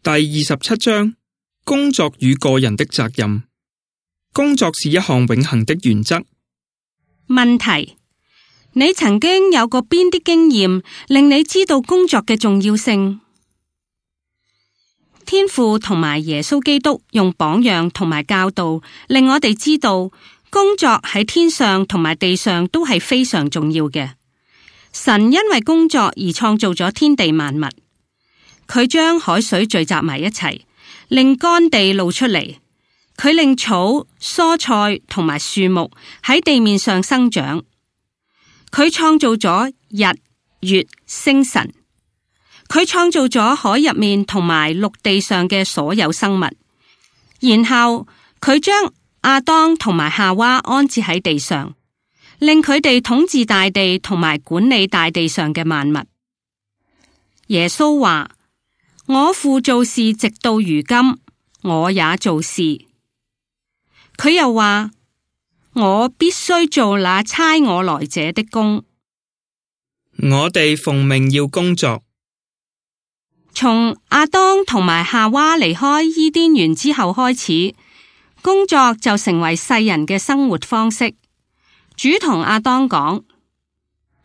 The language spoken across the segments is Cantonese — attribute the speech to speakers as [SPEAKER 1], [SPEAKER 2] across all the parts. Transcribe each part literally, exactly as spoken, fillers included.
[SPEAKER 1] 第二十七章：工作與個人的責任。工作是一項永恆的原則。
[SPEAKER 2] 問題：你曾經有過邊啲經驗令你知道工作嘅重要性？天父同埋耶穌基督用榜樣同埋教導，令我哋知道工作喺天上同埋地上都係非常重要嘅。神因為工作而創造咗天地萬物，佢將海水聚集埋一齊，令乾地露出嚟。佢令草、蔬菜同埋樹木喺地面上生長。佢創造咗日、月、星辰。佢創造咗海入面同埋陸地上嘅所有生物。然後佢將亞當同埋夏娃安置喺地上，令佢哋統治大地同埋管理大地上嘅萬物。耶穌話：我父做事直到如今，我也做事。佢又話：我必須做那差我來者的工。
[SPEAKER 1] 我哋奉命要工作。
[SPEAKER 2] 從亞當同埋夏娃離開伊甸園之後開始，工作就成為世人嘅生活方式。主同亞當講：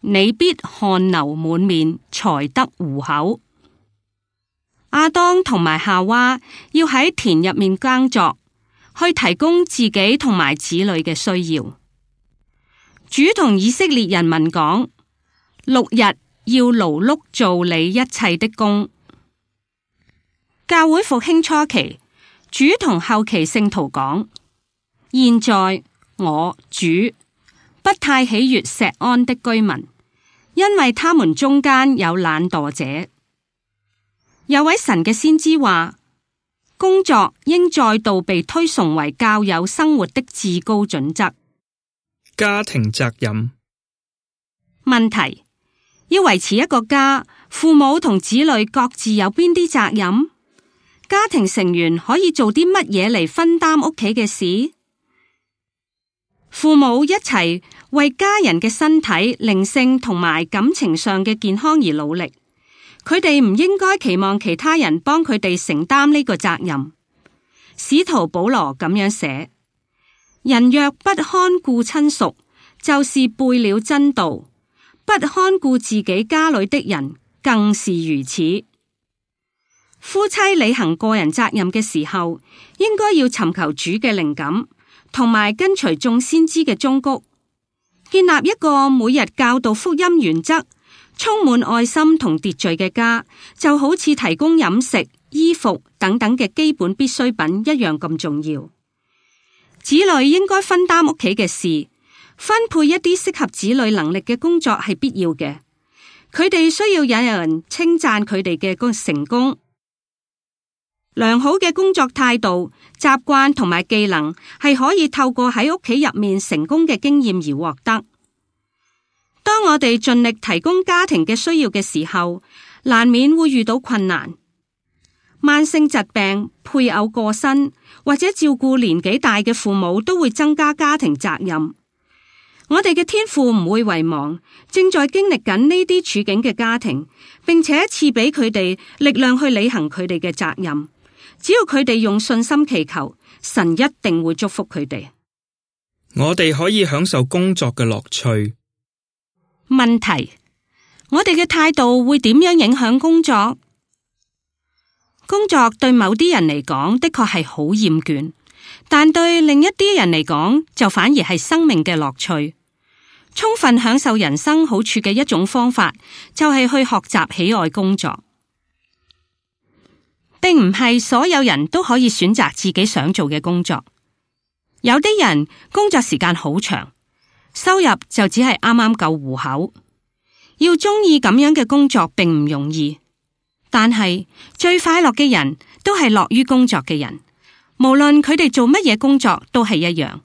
[SPEAKER 2] 你必汗流滿面，才得糊口。亞當同埋夏娃要喺田入面耕作，去提供自己同埋子女嘅需要。主同以色列人民講：六日要勞碌做你一切的工。教會復興初期，主同後期聖徒講：現在我主不太喜悅錫安的居民，因為他們中間有懶惰者。有位神嘅先知話：工作應再度被推崇為教友生活的至高準則。
[SPEAKER 1] 家庭責任。
[SPEAKER 2] 問題：要維持一個家，父母同子女各自有邊啲責任？家庭成員可以做啲乜嘢嚟分擔屋企嘅事？父母一齊為家人嘅身體、靈性同埋感情上嘅健康而努力。佢哋唔應該期望其他人幫佢哋承擔呢個責任。使徒保羅咁樣寫：人若不看顧親屬，就是背了真道；不看顧自己家裏的人，更是如此。夫妻履行個人責任嘅時候，應該要尋求主嘅靈感，同埋跟隨眾先知嘅忠告，建立一個每日教導福音原則、充滿愛心同秩序嘅家，就好似提供飲食、衣服等等嘅基本必需品一樣咁重要。子女應該分擔屋企嘅事，分配一啲適合子女能力嘅工作係必要嘅。佢哋需要有人稱讚佢哋嘅成功。良好嘅工作態度、習慣同埋技能係可以透過喺屋企入面成功嘅經驗而獲得。當我哋盡力提供家庭嘅需要嘅時候，難免會遇到困難。慢性疾病、配偶過身或者照顧年紀大嘅父母都會增加家庭責任。我哋嘅天父唔會遺忘正在經歷緊呢啲處境嘅家庭，並且賜俾佢哋力量去履行佢哋嘅責任。只要佢哋用信心祈求，神一定會祝福佢哋。
[SPEAKER 1] 我哋可以享受工作嘅樂趣。
[SPEAKER 2] 問題：我哋嘅態度會點樣影響工作？工作對某啲人嚟講的確係好厭倦，但對另一啲人嚟講就反而係生命嘅樂趣。充分享受人生好處嘅一種方法，就係去學習喜愛工作。並唔係所有人都可以選擇自己想做嘅工作。有啲人工作時間好長，收入就只係啱啱夠糊口。要中意咁樣嘅工作並唔容易，但係最快樂嘅人都係樂於工作嘅人，無論佢哋做乜嘢工作都係一樣。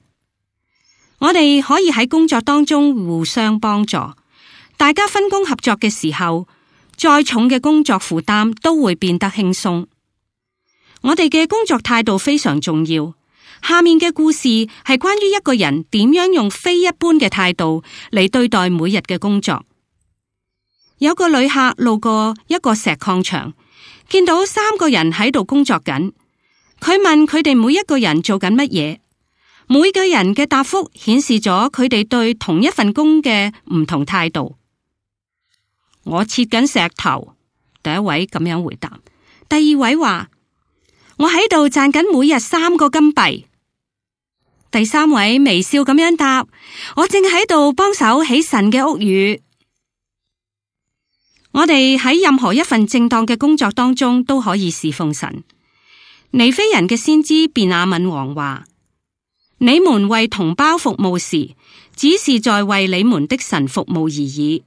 [SPEAKER 2] 我哋可以喺工作當中互相幫助，大家分工合作嘅時候，再重嘅工作負擔都會變得輕鬆。我哋嘅工作態度非常重要。下面嘅故事係關於一個人點樣用非一般嘅態度嚟對待每日嘅工作。有個旅客路過一個石礦場，見到三個人喺度工作緊，佢問佢哋每一個人做緊乜嘢，每個人嘅答覆顯示咗佢哋對同一份工嘅唔同態度。我切緊石頭，第一位咁樣回答。第二位話：我喺度賺緊每日三個金幣。第三位微笑咁樣答：我正喺度幫手起神嘅屋宇。我哋喺任何一份正當嘅工作當中都可以侍奉神。尼非人嘅先知便雅憫王話：你們為同胞服務時，只是在為你們的神服務而已。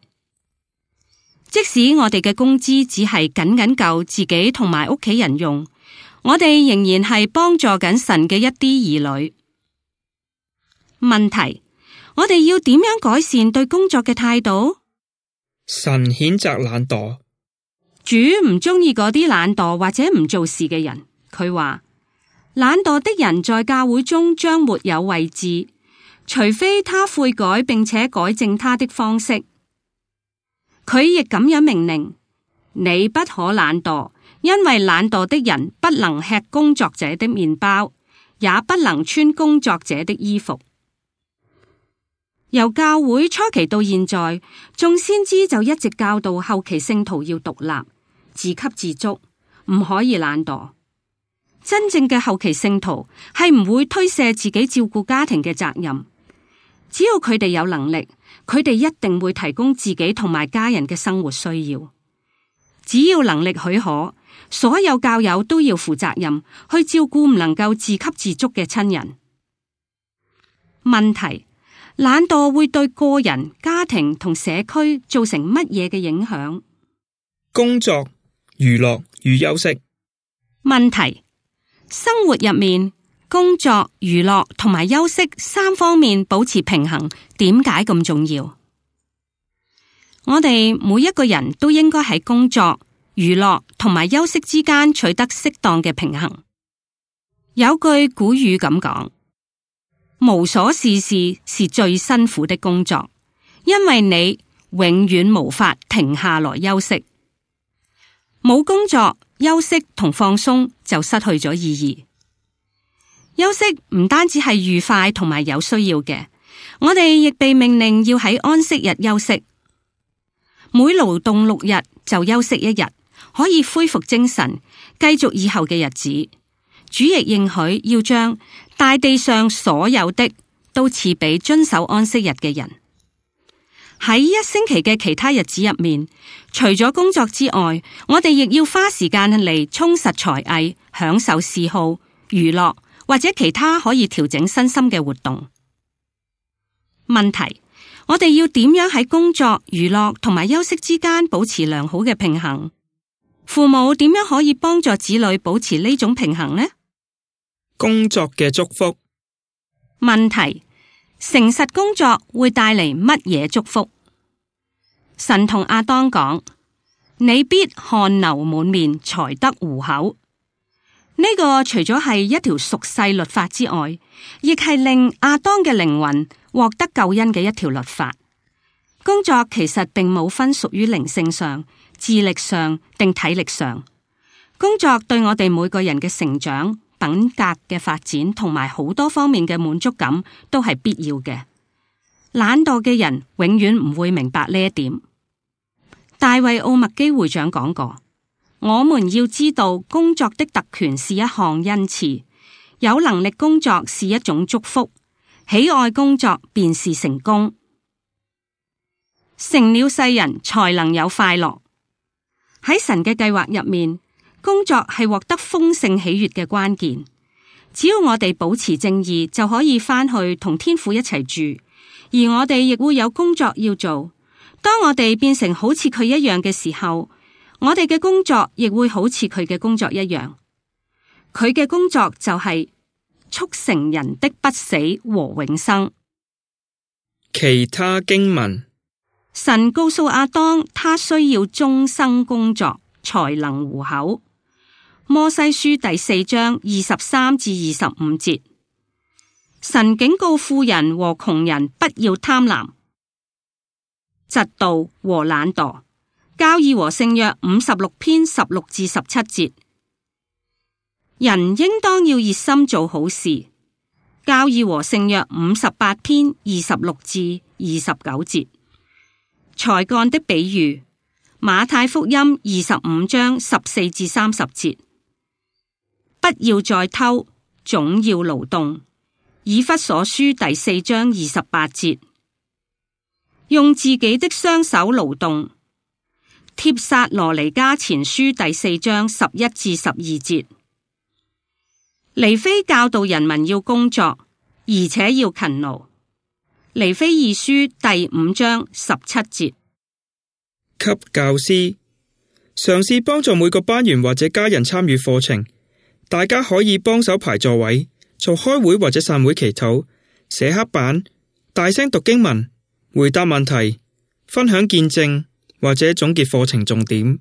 [SPEAKER 2] 即使我哋嘅工資只係僅僅夠自己同埋屋企人用，我哋仍然係幫助緊神嘅一啲兒女。問題：我哋要點樣改善對工作嘅態度？
[SPEAKER 1] 神譴責懶惰，
[SPEAKER 2] 主唔中意嗰啲懶惰或者唔做事嘅人。佢話：懶惰的人在教會中將沒有位置，除非他悔改並且改正他的方式。佢亦咁樣命令：你不可懶惰，因為懶惰的人不能吃工作者的麵包，也不能穿工作者的衣服。由教會初期到現在，眾先知就一直教導後期聖徒要獨立、自給自足，唔可以懶惰。真正嘅後期聖徒係唔會推卸自己照顧家庭嘅責任，只要佢哋有能力，佢哋一定會提供自己同埋家人嘅生活需要。只要能力許可，所有教友都要負責任去照顧唔能夠自給自足嘅親人。問題：懶惰會對個人、家庭同社區造成乜嘢嘅影響？
[SPEAKER 1] 工作、娛樂與休息。
[SPEAKER 2] 問題：生活入面，工作、娛樂同埋休息三方面保持平衡，點解咁重要？我哋每一個人都應該喺工作、娛樂同埋休息之間取得適當嘅平衡。有句古語咁講：無所事事是最辛苦的工作，因為你永遠無法停下來休息。冇工作、休息同放鬆就失去咗意義。休息唔單止係愉快同埋有需要嘅，我哋亦被命令要喺安息日休息。每勞動六日就休息一日，可以恢復精神，繼續以後嘅日子。主亦應許要將大地上所有的都賜俾遵守安息日嘅人。喺一星期嘅其他日子入面，除咗工作之外，我哋亦要花時間嚟充實才藝、享受嗜好、娛樂或者其他可以調整身心嘅活動。問題：我哋要點樣喺工作、娛樂同埋休息之間保持良好嘅平衡？父母點樣可以幫助子女保持呢種平衡呢？
[SPEAKER 1] 工作嘅祝福。
[SPEAKER 2] 問題：誠實工作會帶嚟乜嘢祝福？神同亞當講：你必汗流滿面，才得糊口。呢、這個除咗係一條屬世律法之外，亦係令亞當嘅靈魂獲得救恩嘅一條律法。工作其實並冇分屬於靈性上、智力上定體力上。工作對我哋每個人嘅成長、品格嘅發展同埋好多方面嘅滿足感都係必要嘅。懶惰嘅人永遠唔會明白呢一點。大衛奧麥基會長講過：我們要知道工作的特權是一項恩賜，有能力工作是一種祝福，喜愛工作便是成功。成了世人才能有快樂。喺神嘅計劃入面，工作係獲得豐盛喜悅嘅關鍵。只要我哋保持正義，就可以返去同天父一齊住，而我哋亦會有工作要做。當我哋變成好似佢一樣嘅時候，我哋嘅工作亦會好似佢嘅工作一樣。佢嘅工作就係促成人的不死和永生。
[SPEAKER 1] 其他經文。
[SPEAKER 2] 神告訴亞當，他需要終生工作才能糊口。摩西書第四章二十三至二十五節，神警告富人和窮人不要貪婪、嫉妒和懶惰，教義和聖約五十六篇十六至十七節。人應當要熱心做好事。教義和聖約五十八篇二十六至二十九節。才幹的比喻。馬太福音二十五章十四至三十節。不要再偷，總要勞動。以弗所書第四章二十八節。用自己的雙手勞動。帖撒羅尼迦前書第四章十一至十二節。尼非教導人民要工作，而且要勤勞。尼非二書第五章十七節。
[SPEAKER 1] 給教師，嘗試幫助每個班員或者家人參與課程。大家可以幫手排座位，做開會或者散會祈禱，寫黑板，大聲讀經文，回答問題，分享見證或者總結課程重點。